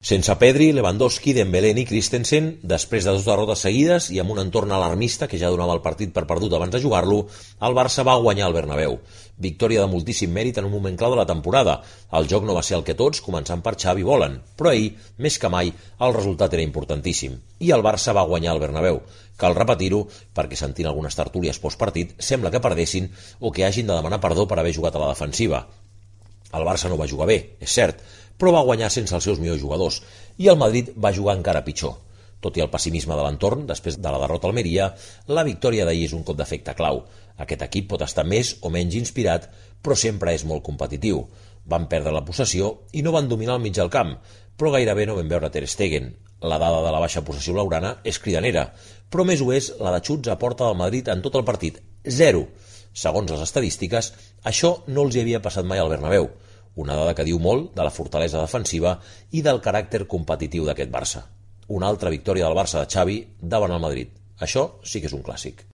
Sense Pedri, Lewandowski, Dembélé ni Christensen, després de 2 derrotes seguides i amb un entorn alarmista que ja donava el partit per perdut abans de jugar-lo, el Barça va guanyar al Bernabéu. Victòria de moltíssim mèrit en un moment clau de la temporada. El joc no va ser el que tots, començant per Xavi, volen, però ahir, més que mai, el resultat era importantíssim. I el Barça va guanyar al Bernabéu. Cal repetir-ho, perquè sentint algunes tertúlies postpartit sembla que perdessin o que hagin de demanar perdó per haver jugat a la defensiva. El Barça no va jugar bé, és cert, però va guanyar sense els seus millors jugadors, i el Madrid va jugar encara pitjor. Tot i el pessimisme de l'entorn, després de la derrota a Almeria, la victòria d'ahir és un cop d'efecte clau. Aquest equip pot estar més o menys inspirat, però sempre és molt competitiu. Van perdre la possessió i no van dominar el mig del camp, però gairebé no vam veure Ter Stegen. La dada de la baixa possessió blaugrana és cridanera, però més ho és la de xuts a porta del Madrid en tot el partit, 0. Segons les estadístiques, això no els hi havia passat mai al Bernabéu, una dada que diu molt de la fortalesa defensiva i del caràcter competitiu d'aquest Barça. Una altra victòria del Barça de Xavi davant el Madrid. Això sí que és un clàssic.